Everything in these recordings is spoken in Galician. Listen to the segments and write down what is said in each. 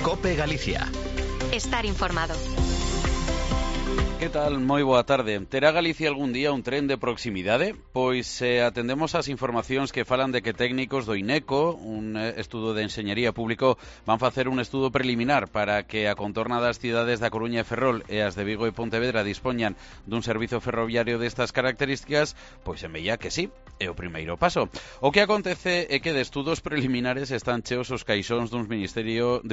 COPE Galicia. Estar informado. Que tal? Moi boa tarde. Terá Galicia algún día un tren de proximidade? Pois atendemos ás informacións que falan de que técnicos do INECO, un estudo de enxeñería público, van facer un estudo preliminar para que a contorna das cidades da Coruña e Ferrol e as de Vigo e Pontevedra dispoñan dun servizo ferroviario destas características. Pois en veía que sí, é o primeiro paso. O que acontece é que de estudos preliminares están cheos os caixóns dun ministerio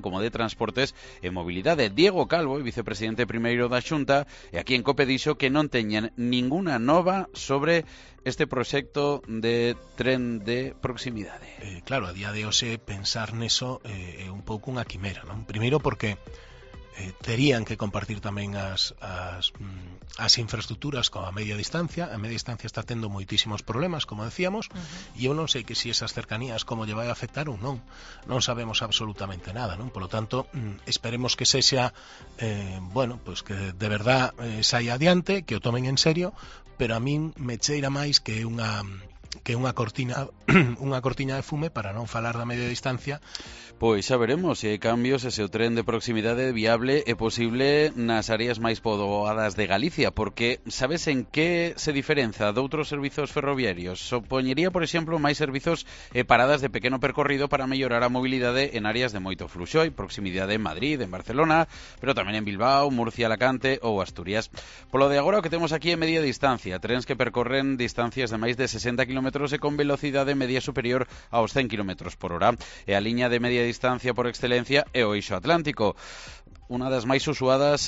como de Transportes e Mobilidade. Diego Calvo, vicepresidente primeiro da Xunta, e aquí en COPE dixo que non teñen ninguna nova sobre este proxecto de tren de proximidade. Claro, a día de hoxe pensar neso é un pouco unha quimera, non? Primeiro porque terían que compartir tamén as infraestructuras coa media distancia. A media distancia está tendo moitísimos problemas, como decíamos, e eu non sei que si esas cercanías como lle vai a afectar ou non. Non sabemos absolutamente nada, non? Por lo tanto, esperemos que sexa pues que de verdad saia adiante, que o tomen en serio, pero a min me cheira máis que unha cortina de fume para non falar da media distancia. Pois xa veremos se hai cambios e se o tren de proximidade viable e posible nas áreas máis poboadas de Galicia, porque sabes en que se diferenza de outros servizos ferroviarios? Supoñería, por exemplo, máis servizos e paradas de pequeno percorrido para mellorar a mobilidade en áreas de moito fluxo e proximidade en Madrid, en Barcelona, pero tamén en Bilbao, Murcia, Alacante ou Asturias. Polo de agora o que temos aquí é media distancia, trens que percorren distancias de máis de 60 km e con velocidade media superior aos 100 km por hora. E a liña de media distancia por excelencia é o eixo atlántico, unha das máis usadas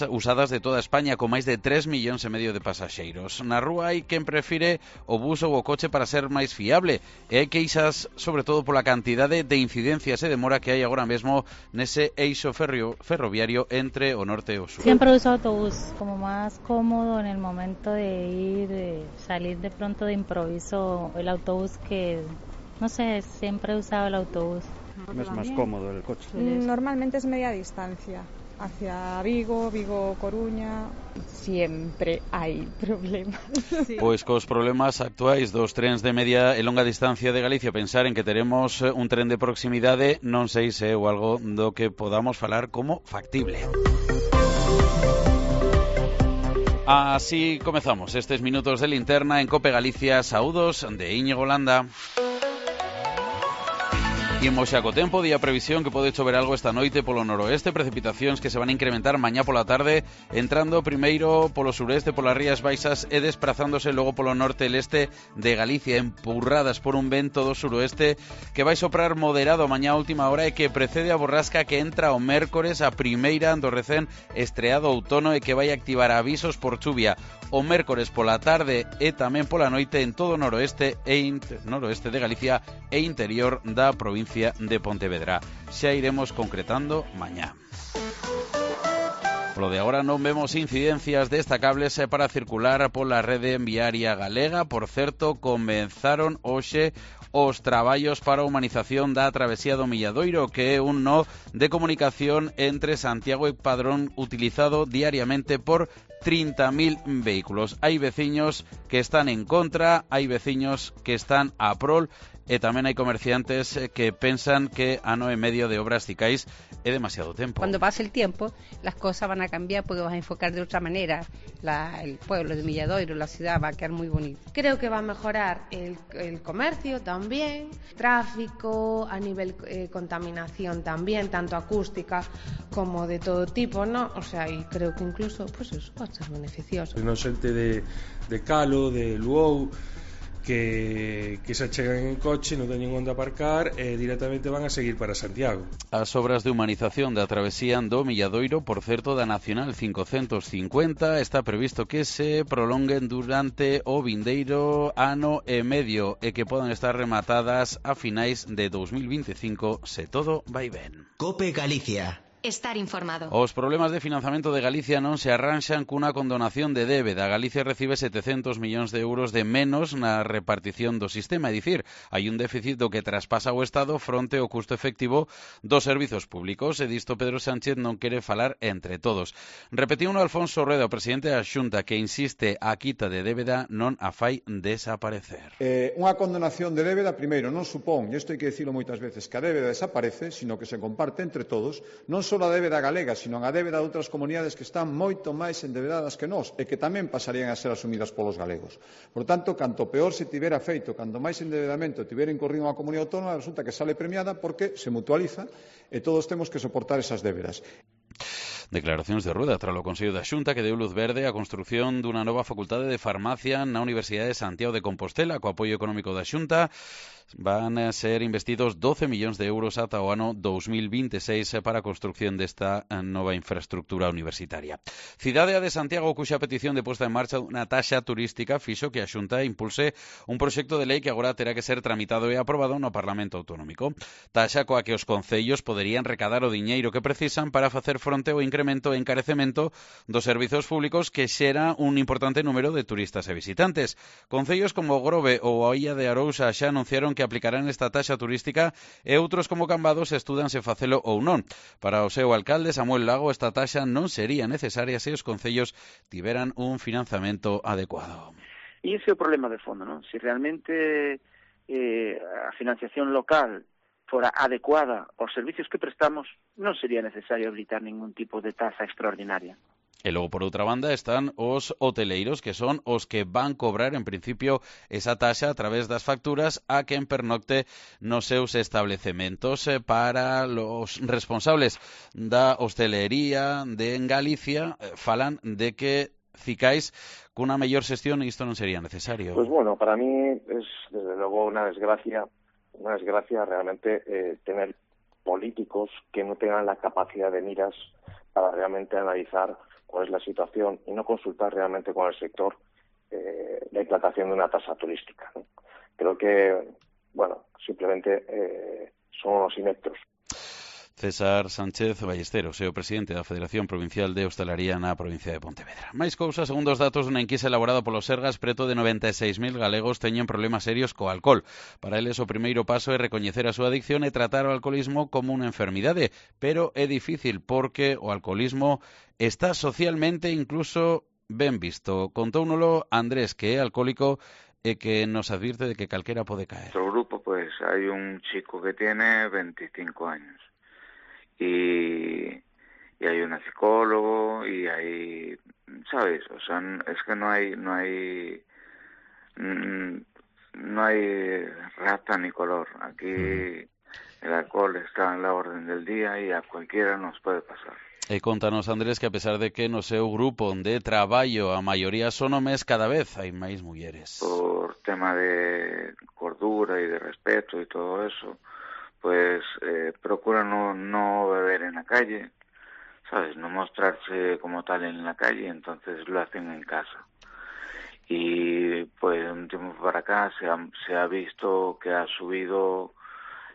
de toda España, con máis de 3,5 millóns de pasaxeiros. Na rúa hai quen prefire o bus ou o coche para ser máis fiable, e hai queixas sobre todo pola cantidade de incidencias e demora que hai agora mesmo nese eixo ferroviario entre o norte e o sur. Siempre uso autobús como más cómodo en el momento de salir de pronto de improviso, el autobús que, no sé, siempre he usado el autobús. Es más cómodo el coche. Normalmente es media distancia, hacia Vigo, Coruña. Siempre hai problemas. Sí. Pois cos problemas actuais dos trens de media e longa distancia de Galicia, pensar en que teremos un tren de proximidade non sei se é algo do que podamos falar como factible. Así comezamos estes minutos de linterna en COPE Galicia. Saúdos de Íñigo Landa. Imos xa co tempo, día previsión que pode chover algo esta noite polo noroeste, precipitacións que se van a incrementar mañá pola tarde, entrando primeiro polo sureste, polas Rías Baixas e desprazándose logo polo norte e leste de Galicia, empurradas por un vento do suroeste que vai soprar moderado mañá a última hora e que precede a borrasca que entra o mércores, a primeira do recén estreado outono e que vai activar avisos por chuvia o mércores pola tarde e tamén pola noite en todo o noroeste de Galicia e interior da provincia de Pontevedra. Xa iremos concretando mañá. Polo de agora non vemos incidencias destacables para circular pola rede viaria galega. Por certo, comenzaron hoxe os traballos para a humanización da travesía do Milladoiro, que é un nó de comunicación entre Santiago e Padrón utilizado diariamente por 30.000 vehículos. Hai veciños que están en contra, hai veciños que están a prol, e tamén hai comerciantes que pensan que ano e medio de obras cicais é demasiado tempo. Cuando pase el tiempo, las cosas van a cambiar porque vas a enfocar de otra manera. El pueblo de Milladoiro, la ciudad, va a quedar muy bonito. Creo que va a mejorar el comercio también, tráfico, a nivel contaminación también, tanto acústica como de todo tipo, ¿no? O sea, y creo que incluso, pues eso va a ser beneficioso. Non xente de Calo, de Luou, que se achegan en coche, non teñen onde aparcar e directamente van a seguir para Santiago. As obras de humanización da travesía do Milladoiro, por certo, da Nacional 550, está previsto que se prolonguen durante o vindeiro ano e medio e que podan estar rematadas a finais de 2025 se todo vai ben. COPE Galicia. estar informado. Os problemas de financiamento de Galicia non se arranxan cunha condonación de débeda. Galicia recibe 700 millóns de euros de menos na repartición do sistema, é dicir, hai un déficit do que traspasa o Estado fronte ao custo efectivo dos servizos públicos, e disto Pedro Sánchez non quere falar entre todos. Repetiu un Alfonso Rueda, o presidente da Xunta, que insiste a quita de débeda non a fai desaparecer. Unha condonación de débeda, primeiro, non supón, e isto hai que dicilo moitas veces, que a débeda desaparece, sino que se comparte entre todos, non só a débeda galega, sino a débeda de outras comunidades que están moito máis endebedadas que nós e que tamén pasarían a ser asumidas polos galegos. Por tanto, canto peor se tivera feito, canto máis endebedamento tivera incorrido unha comunidade autónoma, resulta que sale premiada porque se mutualiza e todos temos que soportar esas débedas. Declaracións de Rueda tras o Consello da Xunta que deu luz verde á construción dunha nova facultade de farmacia na Universidade de Santiago de Compostela co apoio económico da Xunta. Van a ser investidos 12 millóns de euros ata o ano 2026 para a construcción desta nova infraestructura universitaria. Cidade de Santiago, cuxa petición de posta en marcha dunha taxa turística fixo que a Xunta impulse un proxecto de lei que agora terá que ser tramitado e aprobado no Parlamento Autonómico. Taxa coa que os concellos poderían recadar o diñeiro que precisan para facer fronte ao incremento e encarecemento dos servizos públicos que xera un importante número de turistas e visitantes. Concellos como Grove ou a Illa de Arousa xa anunciaron que aplicarán esta taxa turística e outros como Cambados estudan se facelo ou non. Para o seu alcalde, Samuel Lago, esta taxa non sería necesaria se os concellos tiveran un financiamento adecuado. E ese é o problema de fondo, non? Se realmente a financiación local fora adecuada aos servicios que prestamos, non sería necesario habilitar ningún tipo de taxa extraordinaria. E logo, por outra banda, están os hoteleiros, que son os que van cobrar, en principio, esa taxa a través das facturas a quen pernocte nos seus establecementos. Para os responsables da hostelería en Galicia, falan de que cicais cunha mellor xestión isto non sería necesario. Pues bueno, para mí es desde luego una desgracia realmente tener políticos que no tengan la capacidad de miras para realmente analizar cuál es la situación y no consultar realmente con el sector la implantación de una tasa turística, ¿no? Creo que, bueno, simplemente son unos ineptos. César Sánchez Ballesteros, o presidente da Federación Provincial de Hostalaría na provincia de Pontevedra. Máis cousas, segundo os datos dunha enquisa elaborada polo Sergas, preto de 96.000 galegos teñen problemas serios co alcohol. Para eles o primeiro paso é recoñecer a súa adicción e tratar o alcoholismo como unha enfermidade, pero é difícil porque o alcoholismo está socialmente incluso ben visto. Contóunolo Andrés, que é alcohólico e que nos advirte de que calquera pode caer. En nuestro grupo pues hay un chico que tiene 25 años. Y hay una psicólogo y hay, ¿sabes? O sea, es que no hay raza ni color. Aquí el alcohol está en la orden del día y a cualquiera nos puede pasar. E contanos, Andrés, que a pesar de que no seu grupo de traballo a maioría son homes, cada vez hai máis mulleres. Por tema de cordura y de respeto y todo eso, pues procura no beber en la calle, ¿sabes? No mostrarse como tal en la calle, entonces lo hacen en casa. Y pues de un tiempo para acá se ha visto que ha subido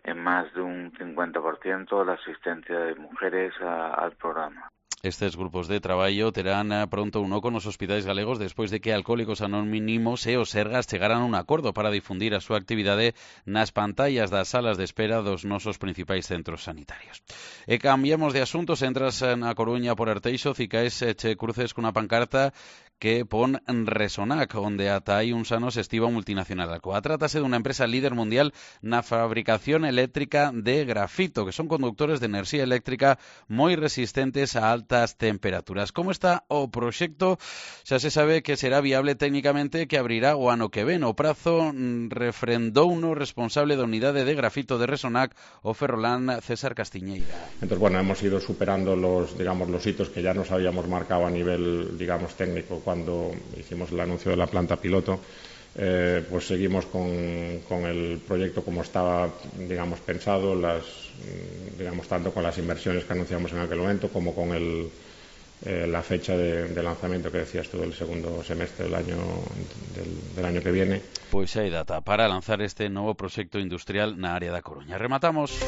en más de un 50% la asistencia de mujeres al programa. Estes grupos de traballo terán pronto un oco nos hospitais galegos despois de que Alcohólicos Anónimos e os Sergas chegaran a un acordo para difundir a súa actividade nas pantallas das salas de espera dos nosos principais centros sanitarios. E cambiamos de asuntos, entras na Coruña por Arteixo, cicais che cruces cunha pancarta que pon Resonac, onde ata hai uns anos estiva un multinacional Alcoa. Trátase dunha empresa líder mundial na fabricación eléctrica de grafito, que son conductores de enerxía eléctrica moi resistentes a altas temperaturas. Como está o proxecto? Xa se sabe que será viable técnicamente, que abrirá o ano que ven. O prazo refrendouno responsable da unidade de grafito de Resonac, o ferrolán César Castiñeira. Entonces, bueno, hemos ido superando los hitos que ya nos habíamos marcado a nivel, técnico cuando hicimos el anuncio de la planta piloto. Pues seguimos con el proyecto como estaba, pensado, tanto con las inversiones que anunciamos en aquel momento como con la fecha de lanzamiento que decías tú del segundo semestre del año que viene. Pois hai data para lanzar este novo proxecto industrial na área da Coruña. Rematamos.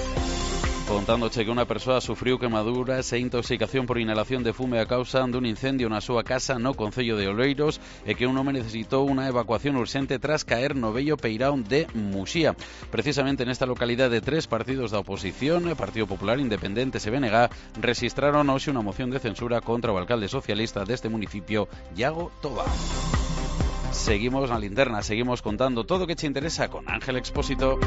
Contándoche que unha persoa sufriu quemaduras e intoxicación por inhalación de fume a causa dun incendio na súa casa no concello de Oleiros e que un home necesitou unha evacuación urxente tras caer no vello peirón de Muxía. Precisamente nesta localidade, 3 partidos da oposición, Partido Popular, Independentes e BNG, rexistraron hoxe unha moción de censura contra o alcalde socialista deste municipio, Iago Toba. Seguimos na linterna, seguimos contando todo o que che interesa con Ángel Expósito.